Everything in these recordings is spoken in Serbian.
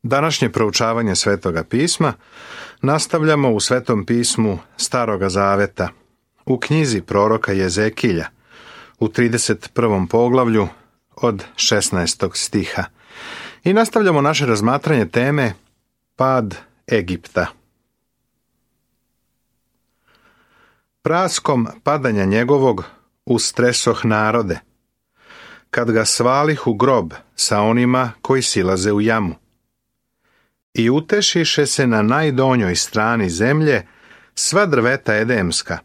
Današnje proučavanje Svetoga pisma nastavljamo u Svetom pismu Staroga Zaveta, u knjizi proroka Jezekilja, u 31. poglavlju od 16. stiha. I nastavljamo naše razmatranje teme Pad Egipta. Praskom padanja njegovog ustresoh narode, kad ga svalih u grob sa onima koji silaze u jamu. I utešiše se na najdonjoj strani zemlje sva drveta edemska,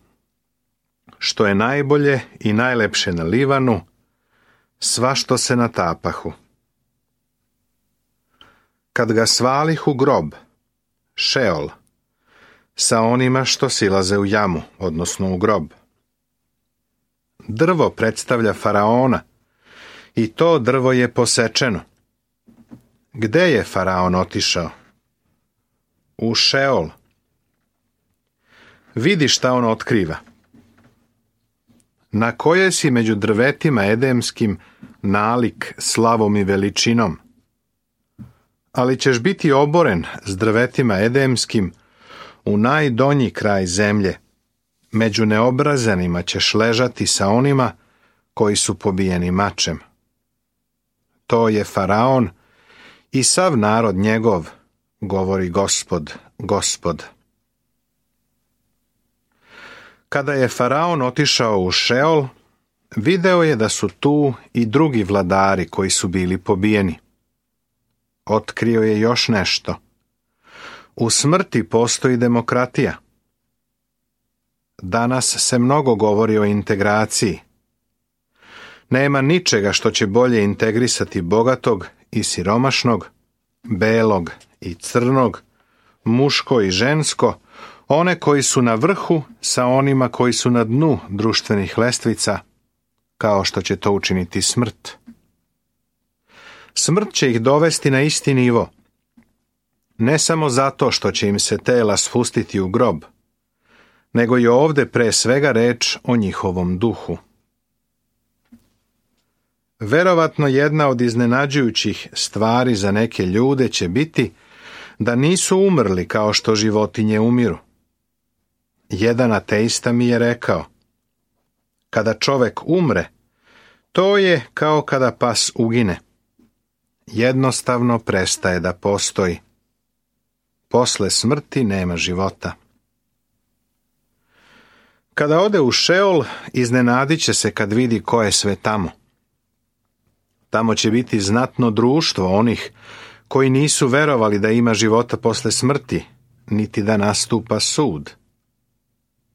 što je najbolje i najlepše na Livanu, sva što se natapahu. Kad ga svalih u grob, Šeol, sa onima što silaze u jamu, odnosno u grob. Drvo predstavlja faraona, i to drvo je posečeno. Gde je faraon otišao? U Šeol. Vidi šta on otkriva. Na koje si među drvetima edemskim nalik slavom i veličinom? Ali ćeš biti oboren s drvetima edemskim u najdonji kraj zemlje. Među neobrazanima ćeš ležati sa onima koji su pobijeni mačem. To je faraon i sav narod njegov, govori Gospod, Gospod. Kada je faraon otišao u Šeol, video je da su tu i drugi vladari koji su bili pobijeni. Otkrio je još nešto. U smrti postoji demokratija. Danas se mnogo govori o integraciji. Nema ničega što će bolje integrisati bogatog i siromašnog, belog i crnog, muško i žensko, one koji su na vrhu sa onima koji su na dnu društvenih lestvica, kao što će to učiniti smrt. Smrt će ih dovesti na isti nivo, ne samo zato što će im se tela spustiti u grob, nego je ovdje pre svega reč o njihovom duhu. Verovatno jedna od iznenađujućih stvari za neke ljude će biti da nisu umrli kao što životinje umiru. Jedan ateista mi je rekao, kada čovek umre, to je kao kada pas ugine. Jednostavno prestaje da postoji. Posle smrti nema života. Kada ode u Šeol, iznenadit će se kad vidi ko je sve tamo. Tamo će biti znatno društvo onih koji nisu verovali da ima života posle smrti, niti da nastupa sud.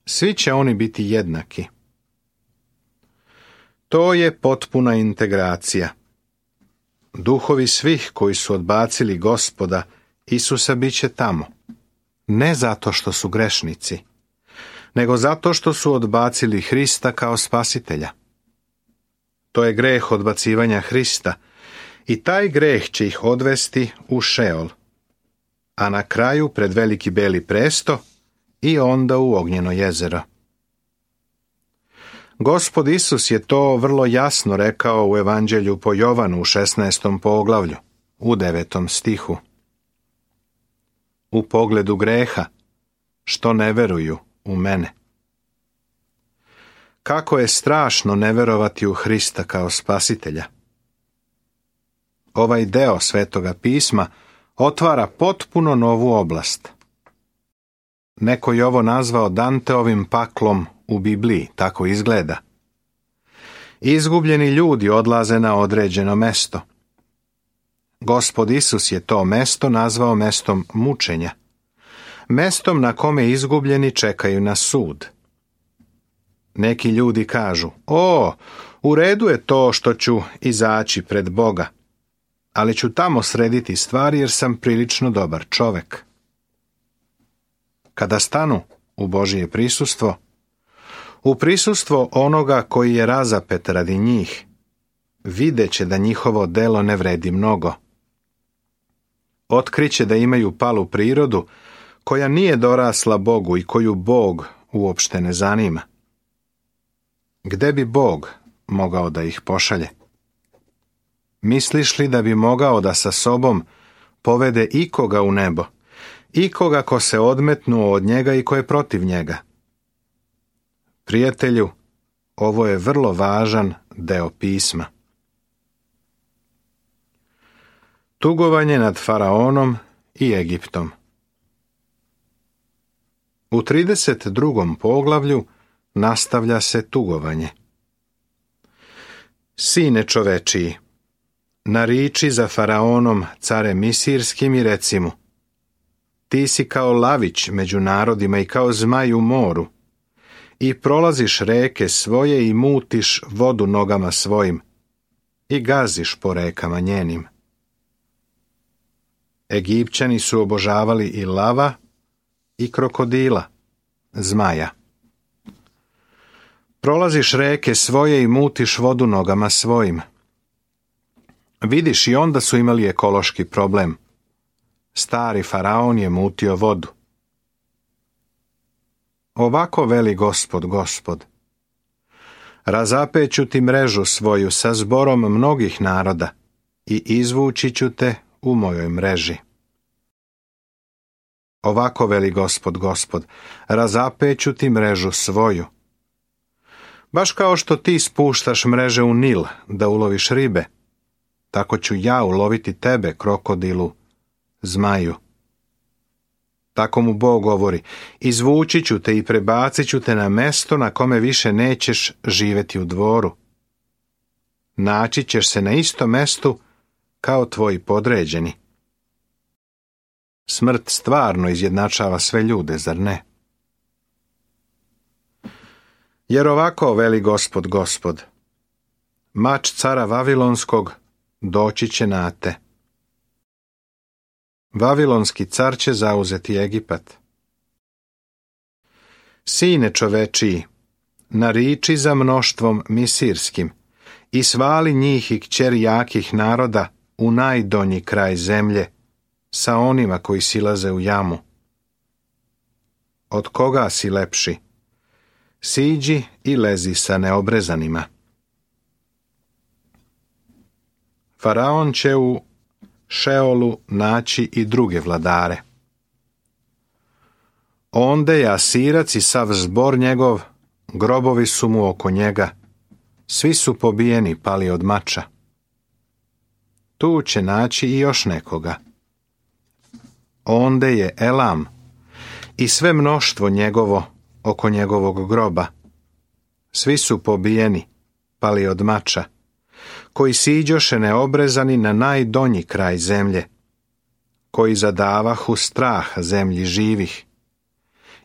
Svi će oni biti jednaki. To je potpuna integracija. Duhovi svih koji su odbacili Gospoda Isusa bit će tamo. Ne zato što su grešnici, nego zato što su odbacili Hrista kao spasitelja. To je greh odbacivanja Hrista i taj greh će ih odvesti u Šeol, a na kraju pred veliki beli presto i onda u ognjeno jezero. Gospod Isus je to vrlo jasno rekao u Evanđelju po Jovanu u 16. poglavlju, u 9. stihu. U pogledu greha, što ne veruju u mene. Kako je strašno ne verovati u Hrista kao spasitelja. Ovaj deo Svetoga pisma otvara potpuno novu oblast. Neko je ovo nazvao Danteovim paklom u Bibliji, tako izgleda. Izgubljeni ljudi odlaze na određeno mesto. Gospod Isus je to mesto nazvao mestom mučenja, mestom na kome izgubljeni čekaju na sud. Neki ljudi kažu, u redu je to što ću izaći pred Boga, ali ću tamo srediti stvari jer sam prilično dobar čovek. Kada stanu u Božje prisustvo, u prisustvo onoga koji je razapet radi njih, videće da njihovo delo ne vredi mnogo. Otkriće da imaju palu prirodu koja nije dorasla Bogu i koju Bog uopšte ne zanima. Gde bi Bog mogao da ih pošalje? Misliš li da bi mogao da sa sobom povede ikoga u nebo, ikoga ko se odmetnuo od njega i ko je protiv njega. Prijatelju, ovo je vrlo važan deo pisma. Tugovanje nad Faraonom i Egiptom. U 32. poglavlju nastavlja se tugovanje. Sine čovečiji, nariči za Faraonom, care Misirskim, i reci mu: ti si kao lavić među narodima i kao zmaj u moru, i prolaziš reke svoje i mutiš vodu nogama svojim i gaziš po rekama njenim. Egipćani su obožavali i lava i krokodila, zmaja. Prolaziš reke svoje i mutiš vodu nogama svojim. Vidiš, i onda su imali ekološki problem. Stari Faraon je mutio vodu. Ovako veli Gospod, Gospod: razapeću ti mrežu svoju sa zborom mnogih naroda i izvući ću te u mojoj mreži. Ovako veli Gospod, Gospod: razapeću ti mrežu svoju. Baš kao što ti spuštaš mreže u Nil da uloviš ribe, tako ću ja uloviti tebe, krokodilu, zmaju. Tako mu Bog govori: izvući ću te i prebacit ću te na mesto na kome više nećeš živjeti u dvoru. Naći ćeš se na istom mestu kao tvoji podređeni. Smrt stvarno izjednačava sve ljude, zar ne? Jer ovako veli Gospod, Gospod: mač cara Vavilonskog doći će na te. Vavilonski car će zauzeti Egipat. Sine čovečiji, nariči za mnoštvom Misirskim i svali njih i kćeri jakih naroda u najdonji kraj zemlje, sa onima koji silaze u jamu. Od koga si lepši? Siđi i lezi sa neobrezanima. Faraon će u Šeolu naći i druge vladare. Onde je Asirac i sav zbor njegov, grobovi su mu oko njega, svi su pobijeni, pali od mača. Tu će naći i još nekoga. Onde je Elam i sve mnoštvo njegovo oko njegovog groba, svi su pobijeni, pali od mača, koji siđoše neobrezani na najdonji kraj zemlje, koji zadavahu strah zemlji živih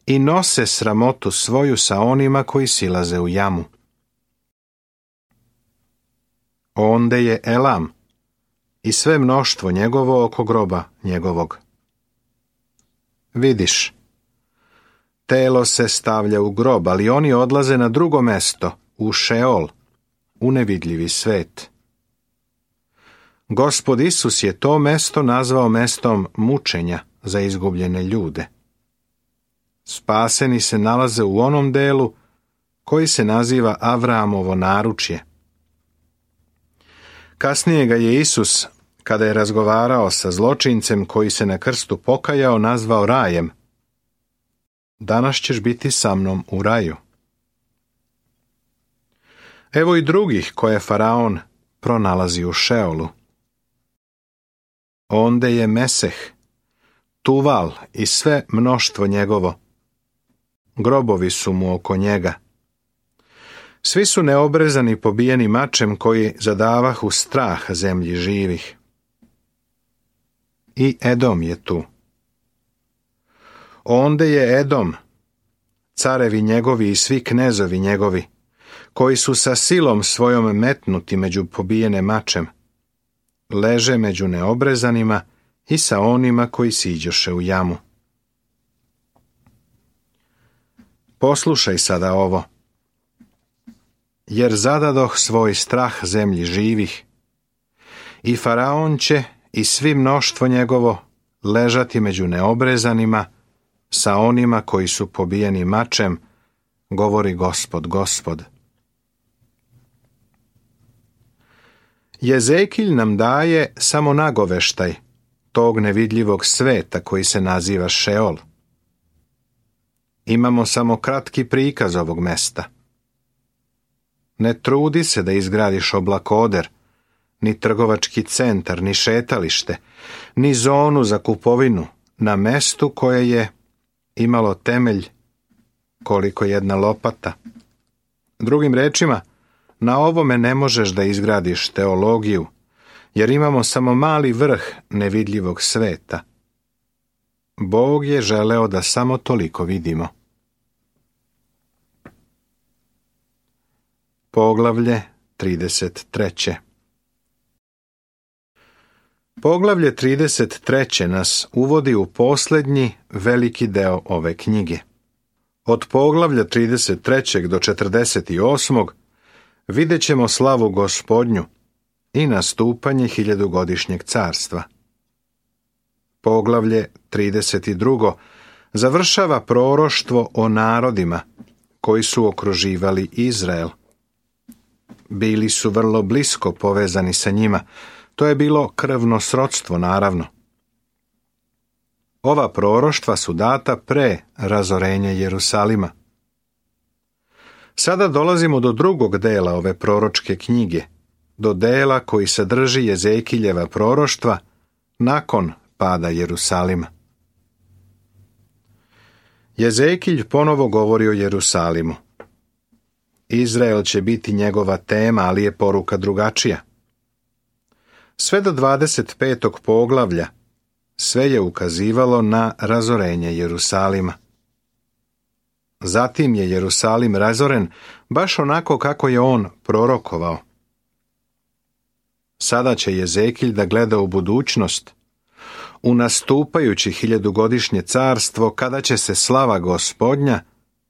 i nose sramotu svoju sa onima koji silaze u jamu. Onde je Elam i sve mnoštvo njegovo oko groba njegovog. Vidiš, telo se stavlja u grob, ali oni odlaze na drugo mesto, u Šeol, u nevidljivi svet. Gospod Isus je to mesto nazvao mestom mučenja za izgubljene ljude. Spaseni se nalaze u onom delu koji se naziva Avramovo naručje. Kasnije ga je Isus, kada je razgovarao sa zločincem koji se na krstu pokajao, nazvao rajem. Danas ćeš biti sa mnom u raju. Evo i drugih koje Faraon pronalazi u Šeolu. Onde je Meseh, Tuval i sve mnoštvo njegovo. Grobovi su mu oko njega. Svi su neobrezani, pobijeni mačem, koji zadavahu strah zemlji živih. I Edom je tu. Onde je Edom, carevi njegovi i svi knezovi njegovi, koji su sa silom svojom metnuti među pobijene mačem, leže među neobrezanima i sa onima koji siđoše u jamu. Poslušaj sada ovo. Jer zadadoh svoj strah zemlji živih, i Faraon će i svi mnoštvo njegovo ležati među neobrezanima sa onima koji su pobijeni mačem, govori Gospod, Gospod. Jezekilj nam daje samo nagoveštaj tog nevidljivog sveta koji se naziva Šeol. Imamo samo kratki prikaz ovog mesta. Ne trudi se da izgradiš oblakoder, ni trgovački centar, ni šetalište, ni zonu za kupovinu na mestu koje je imalo temelj koliko jedna lopata. Drugim rečima, na ovome ne možeš da izgradiš teologiju, jer imamo samo mali vrh nevidljivog sveta. Bog je želeo da samo toliko vidimo. Poglavlje 33. Poglavlje 33. nas uvodi u posljednji veliki deo ove knjige. Od poglavlja 33. do 48. vidjet ćemo slavu Gospodnju i nastupanje hiljadugodišnjeg carstva. Poglavlje 32. završava proroštvo o narodima koji su okruživali Izrael. Bili su vrlo blisko povezani sa njima, to je bilo krvno srodstvo naravno. Ova proroštva su data pre razorenja Jerusalima. Sada dolazimo do drugog dela ove proročke knjige, do dela koji sadrži Jezekiljeva proroštva nakon pada Jerusalima. Jezekilj ponovo govori o Jerusalimu. Izrael će biti njegova tema, ali je poruka drugačija. Sve do 25. poglavlja sve je ukazivalo na razorenje Jerusalima. Zatim je Jerusalim razoren baš onako kako je on prorokovao. Sada će Jezekilj da gleda u budućnost, u nastupajući hiljadugodišnje carstvo, kada će se slava Gospodnja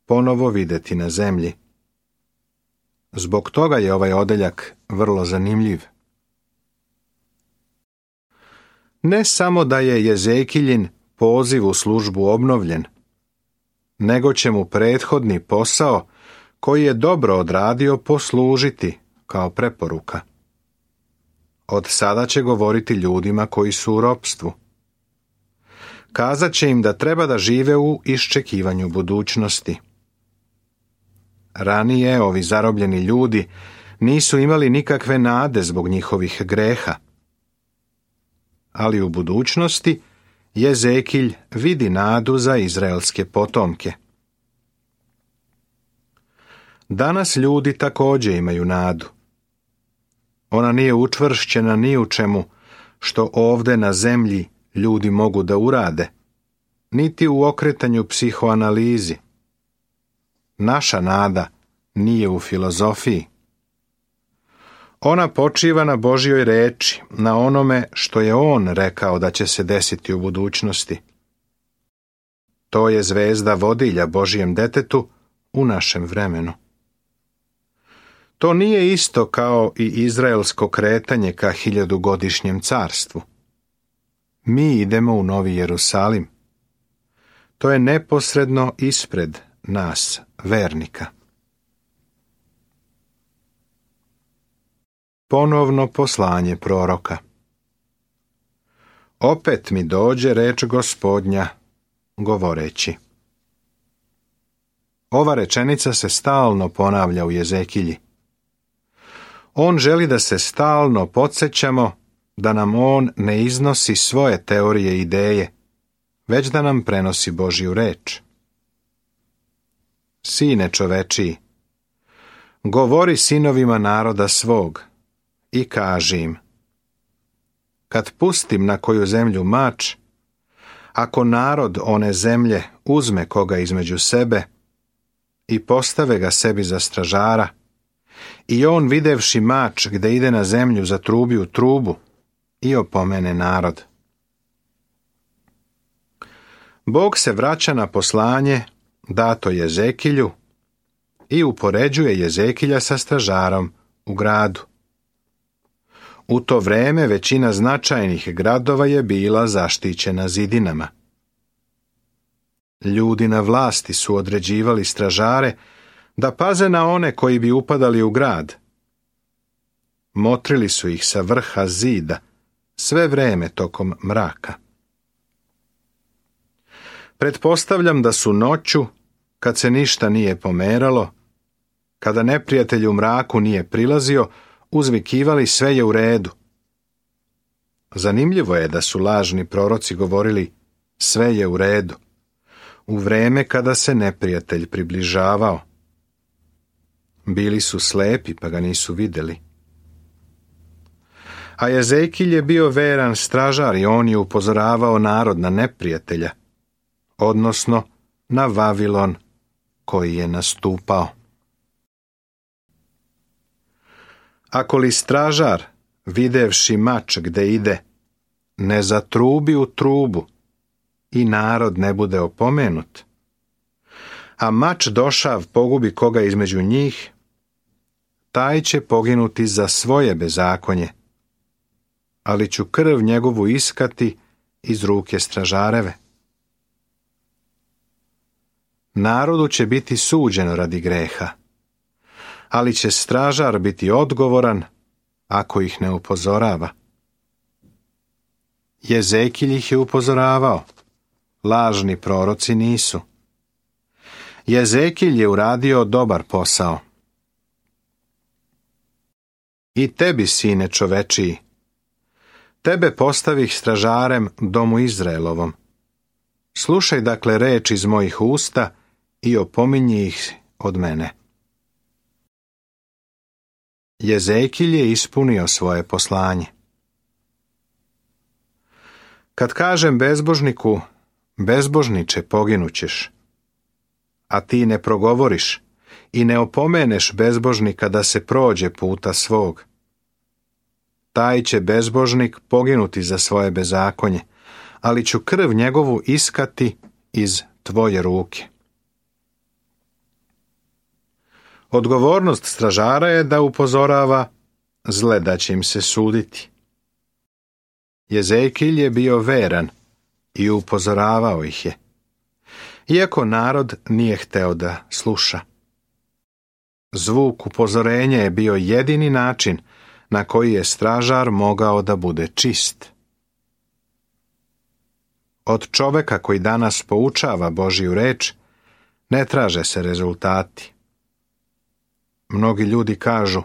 ponovo vidjeti na zemlji. Zbog toga je ovaj odeljak vrlo zanimljiv. Ne samo da je Jezekiljin poziv u službu obnovljen, nego će mu prethodni posao, koji je dobro odradio, poslužiti kao preporuka. Od sada će govoriti ljudima koji su u ropstvu. Kazat će im da treba da žive u iščekivanju budućnosti. Ranije ovi zarobljeni ljudi nisu imali nikakve nade zbog njihovih greha. Ali u budućnosti Jezekilj vidi nadu za izraelske potomke. Danas ljudi također imaju nadu. Ona nije učvršćena ni u čemu što ovde na zemlji ljudi mogu da urade, niti u okretanju psihoanalizi. Naša nada nije u filozofiji. Ona počiva na Božjoj reči, na onome što je On rekao da će se desiti u budućnosti. To je zvezda vodilja Božjem detetu u našem vremenu. To nije isto kao i izraelsko kretanje ka hiljadugodišnjem carstvu. Mi idemo u Novi Jerusalim. To je neposredno ispred nas, vernika. Ponovno poslanje proroka. Opet mi dođe reč Gospodnja, govoreći. Ova rečenica se stalno ponavlja u Jezekilji. On želi da se stalno podsjećamo da nam on ne iznosi svoje teorije i ideje, već da nam prenosi Božju reč. Sine čovečiji, govori sinovima naroda svog i kaži im: kad pustim na koju zemlju mač, ako narod one zemlje uzme koga između sebe i postave ga sebi za stražara, i on videvši mač gde ide na zemlju zatrubi u trubu i opomene narod. Bog se vraća na poslanje dato Jezekilju i upoređuje Jezekilja sa stražarom u gradu. U to vreme većina značajnih gradova je bila zaštićena zidinama. Ljudi na vlasti su određivali stražare da paze na one koji bi upadali u grad. Motrili su ih sa vrha zida, sve vreme tokom mraka. Pretpostavljam da su noću, kad se ništa nije pomeralo, kada neprijatelj u mraku nije prilazio, uzvikivali sve je u redu. Zanimljivo je da su lažni proroci govorili sve je u redu, u vreme kada se neprijatelj približavao. Bili su slepi pa ga nisu vidjeli. A Jezekilj je bio veran stražar i on je upozoravao narod na neprijatelja, odnosno na Vavilon koji je nastupao. Ako li stražar, videvši mač gde ide, ne zatrubi u trubu i narod ne bude opomenut, a mač došav pogubi koga između njih, taj će poginuti za svoje bezakonje, ali ću krv njegovu iskati iz ruke stražareve. Narodu će biti suđeno radi greha, ali će stražar biti odgovoran ako ih ne upozorava. Jezekilj ih je upozoravao, lažni proroci nisu. Jezekilj je uradio dobar posao. I tebi, sine čovečiji, tebe postavih stražarem domu Izraelovom. Slušaj dakle reč iz mojih usta i opominji ih od mene. Jezekilj je ispunio svoje poslanje. Kad kažem bezbožniku, bezbožniče, poginućeš, a ti ne progovoriš i ne opomeneš bezbožnika da se prođe puta svog, taj će bezbožnik poginuti za svoje bezakonje, ali ću krv njegovu iskati iz tvoje ruke. Odgovornost stražara je da upozorava, zle da će im se suditi. Jezekilj je bio veran i upozoravao ih je, iako narod nije hteo da sluša. Zvuk upozorenja je bio jedini način na koji je stražar mogao da bude čist. Od čoveka koji danas poučava Božju reč ne traže se rezultati. Mnogi ljudi kažu,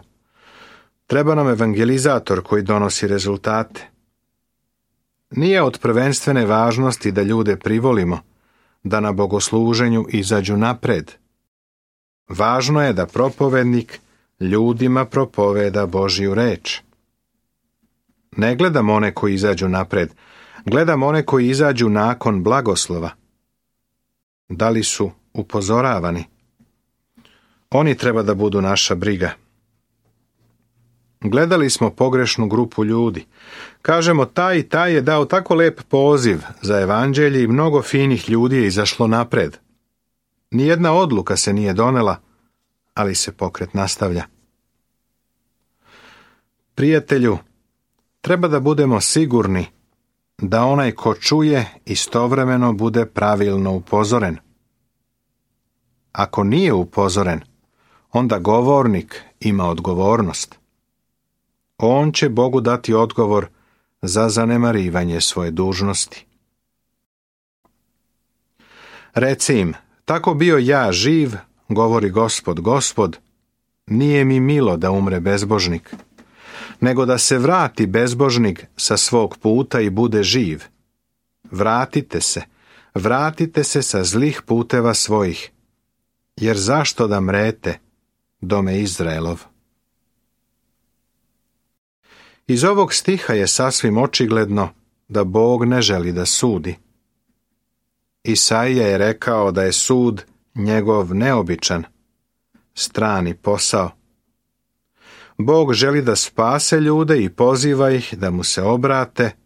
treba nam evangelizator koji donosi rezultate. Nije od prvenstvene važnosti da ljude privolimo, da na bogosluženju izađu napred. Važno je da propovednik ljudima propoveda Božju reč. Ne gledam one koji izađu napred, gledam one koji izađu nakon blagoslova. Da li su upozoravani? Oni treba da budu naša briga. Gledali smo pogrešnu grupu ljudi. Kažemo, taj i taj je dao tako lep poziv za evanđelje i mnogo finih ljudi je izašlo napred. Nijedna odluka se nije donela, ali se pokret nastavlja. Prijatelju, treba da budemo sigurni da onaj ko čuje istovremeno bude pravilno upozoren. Ako nije upozoren, onda govornik ima odgovornost. On će Bogu dati odgovor za zanemarivanje svoje dužnosti. Reci im, tako bio ja živ, govori Gospod, Gospod, nije mi milo da umre bezbožnik, nego da se vrati bezbožnik sa svog puta i bude živ. Vratite se sa zlih puteva svojih, jer zašto da mrete, dome Izraelov? Iz ovog stiha je sasvim očigledno da Bog ne želi da sudi. Isaija je rekao da je sud njegov neobičan, strani posao. Bog želi da spase ljude i poziva ih da mu se obrate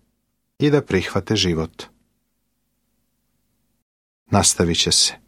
i da prihvate život. Nastavit će se.